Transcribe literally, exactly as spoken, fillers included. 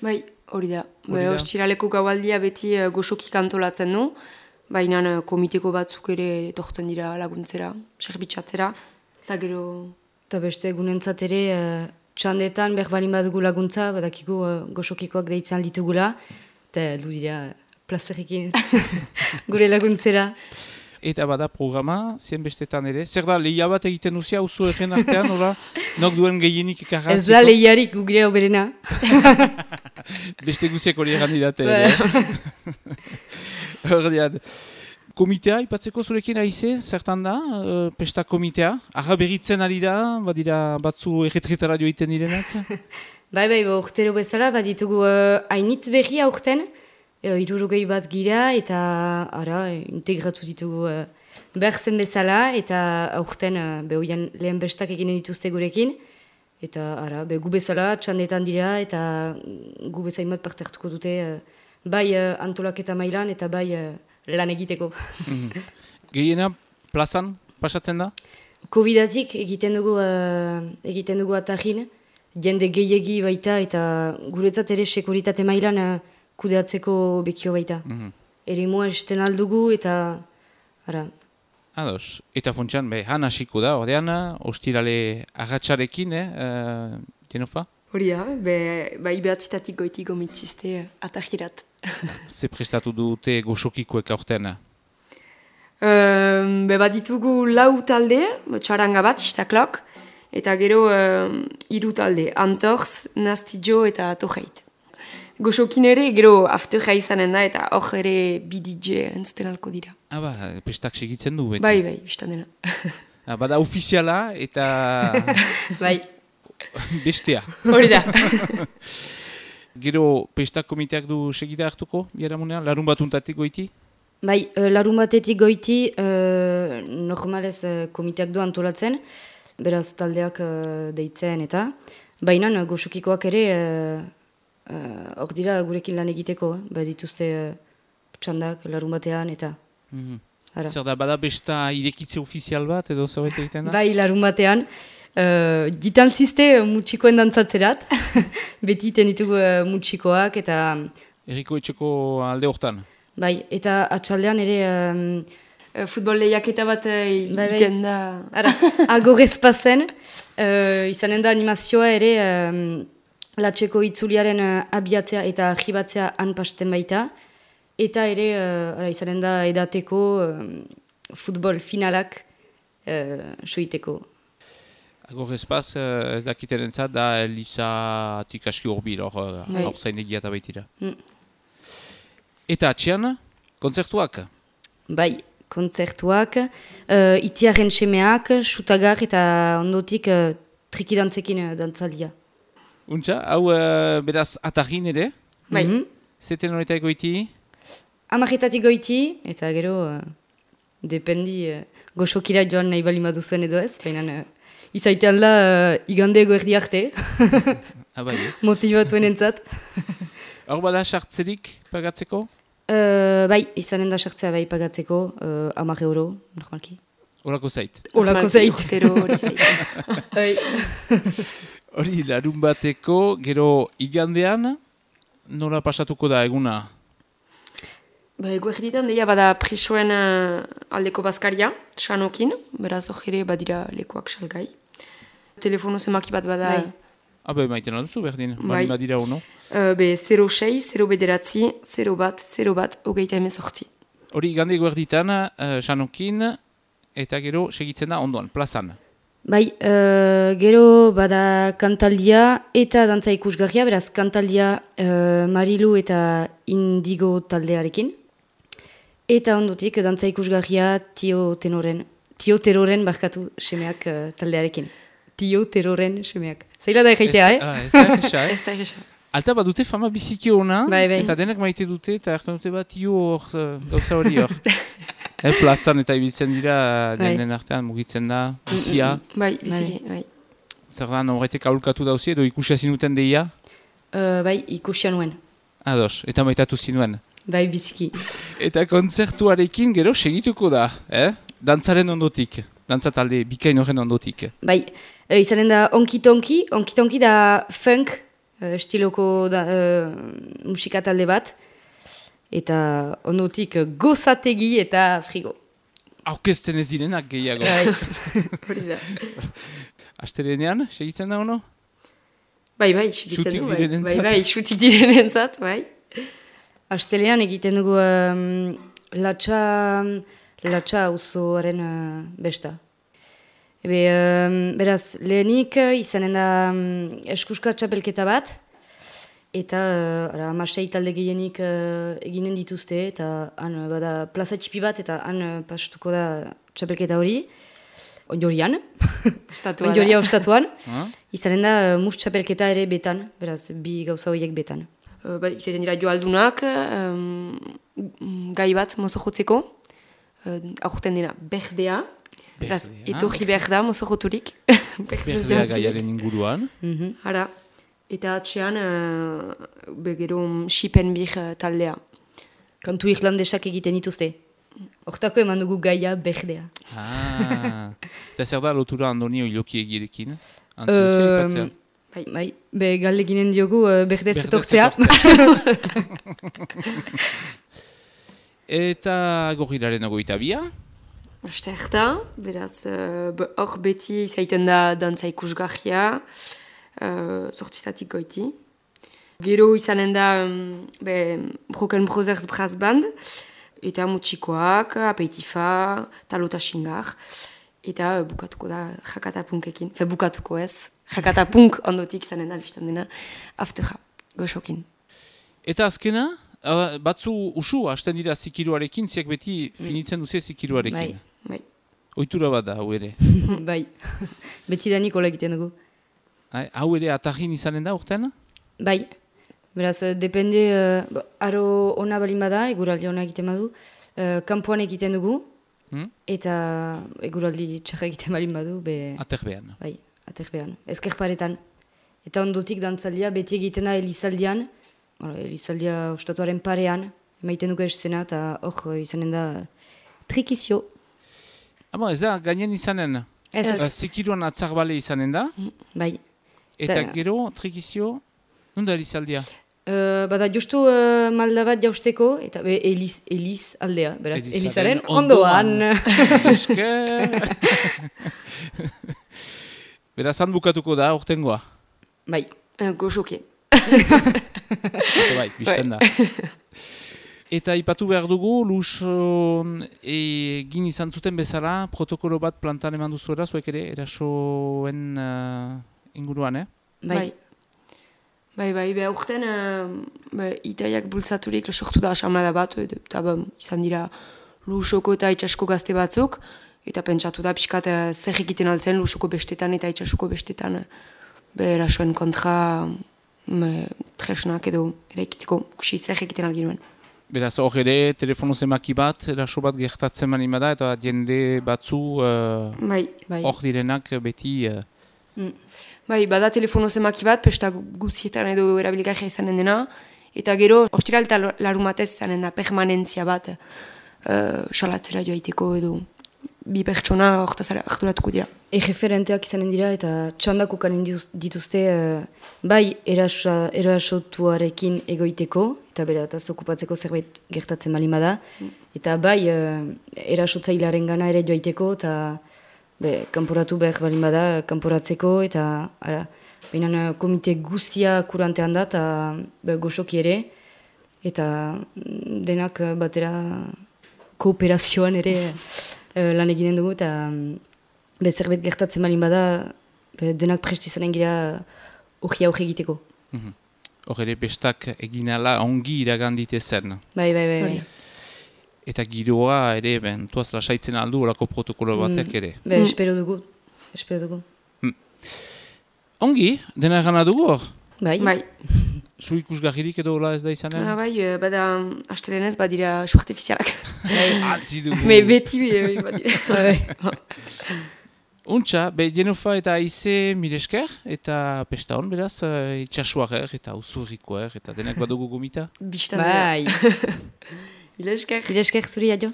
Bai, hori da. Be, ostiraleko gaualdia beti uh, goxokik antolatzen du, baina uh, komiteko batzuk ere etortzen dira laguntzera, serbitzatzera, eta gero... Eta beste egunentzat ere, uh, txandetan berbalin badugu laguntza, badakigu uh, goxokikoak deitzen alditugula, eta du dira plazerekin gure laguntzera. Eta bada programa, zien bestetan ere. Zer da, lehia bat egiten duzia, uzu egen artean, ora, nok duen gehienik ikarra? Ez da lehiarik gugire oberena. Beste guziak hori egan didate. Hordian, komitea, ipatzeko zurekin aize, zertan da, uh, pesta komitea? Arra berritzen ari da, badira batzu erretretara joiten direnak? Bai, bai, ba, urtero bezala, baditugu uh, hainitz berri aurten, uh, irurogei bat gira, eta ara, integratu ditugu uh, berzen bezala, eta aurten uh, behoian lehen bestak eginen dituzte gurekin, eta ara, be, gu bezala, txandetan dira, eta gu bezain bat parte hartuko dute, uh, bai uh, antolaketa mailan, eta bai uh, lan egiteko. Mm-hmm. Gehiena plazan pasatzen da? Covidatik egiten dugu, uh, egiten dugu atarrin, jende gehiegi baita, eta guretzat ere sekuritate mailan uh, kudeatzeko bekio baita. Mm-hmm. Ere mua esten aldugu, eta ara. Ados, eta funtsan, be, han hasiko da, ordean, ostirale agatsarekin, eh, uh, Jenofa? Hori da, be, bai behatzitatik goitik gomitzizte atajirat. Ze prestatu dute goxokikoek aurten? Um, be bat ditugu lau talde, txaranga bat, istaklok, eta gero um, hiru talde, Antorz, Nastidjo eta Torreit. Goxokin ere, gero afterra izanen da, eta hor ere bi D J entzuten alko dira. Ah, ba, pestak segitzen du, beti? Bai, bai, biztan dena. Ah, bada ofiziala eta... bai. Bestea. Hori da. Gero, pestak komiteak du segida hartuko, biharamunean, larun batuntatik goiti? Bai, uh, larun batetik goiti, uh, normalez uh, komiteak du antolatzen, beraz taldeak uh, deitzen eta, baina uh, goxokikoak ere, hor uh, uh, dira gurekin lan egiteko, uh, bai dituzte uh, txandak larun batean eta... Mm-hmm. Zer da, bada besta irekitze ofizial bat edo zerbait egiten da? Bai, larun batean. Uh, Gitantzizte uh, mutxikoen dantzatzerat, beti iten ditugu uh, mutxikoak eta... Eriko etxeko alde hortan? Bai, eta atxaldean ere... Um, uh, futbol lehiaketa bat egiten da... Ara, agorez pasen, uh, izanen da animazioa ere um, latxeko itzuliaren uh, abiatzea eta ahibatzea anpasten baita, eta ere uh, ara, izanen da edateko um, futbol finalak uh, suiteko. Agor espaz, ez dakiten entzat, da Elisatik aski horbil, hor uh, zain egia eta baitira. Mm. Eta atxean, kontzertuak? Bai, kontzertuak, uh, itiaren semeak, sutagar eta ondotik uh, trikidantzekin uh, dantzaldia. Untxa, hau uh, beraz atarrin ere? Bai. Mm-hmm. Zeten horretak goiti? Amarretatik goiti, eta gero, uh, dependi, uh, goxokira joan nahi bali maduzuen edo ez, baina... Uh, Izaitean la uh, igandego erdi arte, ah, bai, eh? Motibatuen entzat. Hor bada sartzerik pagatzeko? Uh, bai, izanen da sartzea bai pagatzeko, uh, hamar euro, normalki. Olako zait? Olako zait. Hori zait. Hori, larun bateko, gero igandean, nola pasatuko da eguna? Ba, ego erditan, deia bada presoen uh, aldeko bazkaria, sanokin, beraz hori badira lekuak salgai. Telefono zemaki bat bada... Bai. Abe, maiten alduzu berdin, bai. Bari badira uno? Uh, be, zero sei, zero bederatzi, zero bat, zero bat, hogeita hemen sortzi. Hori, gande guerditan, uh, sanokin, eta gero segitzen da ondoan, plazan. Bai, uh, gero bada kantaldia eta dantza ikusgarria, beraz kantaldia uh, Marilu eta Indigo taldearekin. Eta ondotik dantza ikusgarria Tio Tenoren, Tio Teroren barkatu semeak uh, taldearekin. Tio Teroren semeak. Zaila da egeitea, eh? Ah, ez da egesa, eh? Ez da egesa. Alta bat dute fama biziki hona, bai, bai. Eta denek maite dute, eta hartan dute bat Tio hor, gauza hori hor. eh, plazan eta ibiltzen dira, denen bai. Artean mugitzen da, bizia. Bai, biziki, bai. Zer da, horretek aholkatu dauzi, edo ikusia zinuten deia? Uh, bai, ikusia nuen. Ados, eta maitatu zinuen. Bai, biziki. Eta kontzertuarekin gero segituko da, eh? Dantzaren ondotik, dantza talde bikain horren ondotik. Bai, e, izanen da onkitonki, onkitonki da funk uh, estiloko da, uh, musika talde bat, eta ondotik uh, gozategi eta frigo. Aurkezten ez direnak gehiago. Hori da. Astelenean, segitzen da ono? Bai, bai, segitzen du, bai, bai, bai, xutik direnentzat, bai. Astelean egiten dugu um, latxa, latxa auzoaren uh, besta. Ebe, um, beraz, lehenik izanen da um, eskuska txapelketa bat, eta uh, amasei talde gehienik uh, eginen dituzte, eta han uh, bada plaza txipi bat, eta han uh, pastuko da txapelketa hori, onjorian, onjoria ostatuan, izanen da uh, mus txapelketa ere betan, beraz, bi gauza horiek betan. Uh, ba, izaten dira joaldunak, um, gai bat mozo jotzeko, uh, aurten dena berdea, beraz, etorri behar da mozo joturik. Berdea gaiaren inguruan. Mm-hmm. Hara, eta atxean, uh, begero Shipen bir uh, taldea. Kantu irlandesak egiten dituzte. Hortako eman dugu gaia berdea. Ah, eta zer da lotura andoni oiloki egirekin? Um, Bai, bai, be galde ginen diogu uh, berdez etortzea. Eta gorrilaren ogoita bia? Aste erta, beraz, hor uh, beti izaiten da dantza ikusgarria, uh, sortzitatik goiti. Gero izanen da um, be, Broken Brothers Brass Band, eta mutxikoak, apeitifa, talota xingar, eta uh, bukatuko da jakatapunkekin, fe bukatuko ez. Jakatapunk ondotik zanen da, biztan dena, afterra, goxokin. Eta azkena, uh, batzu usu, hasten dira zikiruarekin, ziak beti finitzen duze zikiruarekin. Bai, bai. Oitura bat da, hau ere. Bai, beti da nikola egiten dugu. Hai, hau ere atarrin izanen da, urten? Bai, beraz, depende, uh, aro ona balin bada, eguraldi ona egiten badu, uh, kanpoan egiten dugu, hmm? Eta eguraldi txarra egiten balin badu, be... Aterbean. Bai. Aterbean, ezkerparetan. Eta ondotik dantzaldia beti egiten da Elizaldian, Elizaldia ostatuaren parean, emaiten dugu esena, eta hor izanen da trikizio. Abo, ez da, gainen izanen? Ez, ez. Zikiruan atzarbale izanen da? Bai. Eta Ta... gero, trikizio, nunda Elizaldia? Uh, bada justu uh, malda bat jausteko, eta be, Eliz, Eliz aldea, beraz, Elizaren ondoan. Esker! Beraz, han bukatuko da, ortengoa? Bai, uh, goxoki. Bai, bizten da. Eta ipatu behar dugu, luz egin izan zuten bezala, protokolo bat plantan eman duzuera, zuek ere, erasoen uh, inguruan, eh? Bai. Bai, bai, behar urten, uh, itaiak bultzaturik sortu da asamada bat, eta ba, izan dira luzoko eta itxasko gazte batzuk, eta pentsatu da, pixkat zer egiten altzen lusoko bestetan eta itxasuko bestetan berasoen kontra me, tresnak edo eraikitzeko kusi zer egiten alginuen. Beraz, hor ere, telefono zemaki bat, eraso bat gertatzen manima da, eta jende batzu uh, bai, bai. Hor direnak beti... Uh... Mm. Bai, bada telefono zemaki bat, pesta guzietan edo erabilgarria izanen dena, eta gero, ostiral eta larumatez izanen da permanentzia bat uh, salatzera joaiteko edo bi pertsona horretaz harturatuko dira. Erreferenteak izanen dira eta txandako kanen dituzte uh, bai eraso, erasotuarekin egoiteko, eta bera eta okupatzeko zerbait gertatzen balima da, mm. Eta bai uh, erasotzailearen gana ere joaiteko, eta be, kanporatu behar balin bada, kanporatzeko, eta ara, behinan komite guzia kurantean da, eta be, goxoki ere, eta denak batera kooperazioan ere uh, lan eginen dugu, eta be, zerbait gertatzen balin bada, be, denak prestizanen gira hori aurre egiteko. Hor mm-hmm. ere, bestak eginala ongi iragandite zen. Bai, bai, bai. bai. Eta giroa ere, ben, tuaz lasaitzen aldu olako protokolo batek ere. Be, mm. espero dugu. Espero dugu. Mm. Ongi, dena egana dugu hor? Bai. Bai. Zu ikusgarririk edo hola ez da izanen? Ah, bai, bada astelenez badira su artifizialak. Atzi dugu. Me beti badira. Bai. Untxa, be, Jenofa eta Aize miresker, eta pesta hon, beraz, uh, itxasuarer eta usurrikoer, eta denak badugu gomita? Bistan dira. Bai. Ilesker. Ilesker zuri, adio.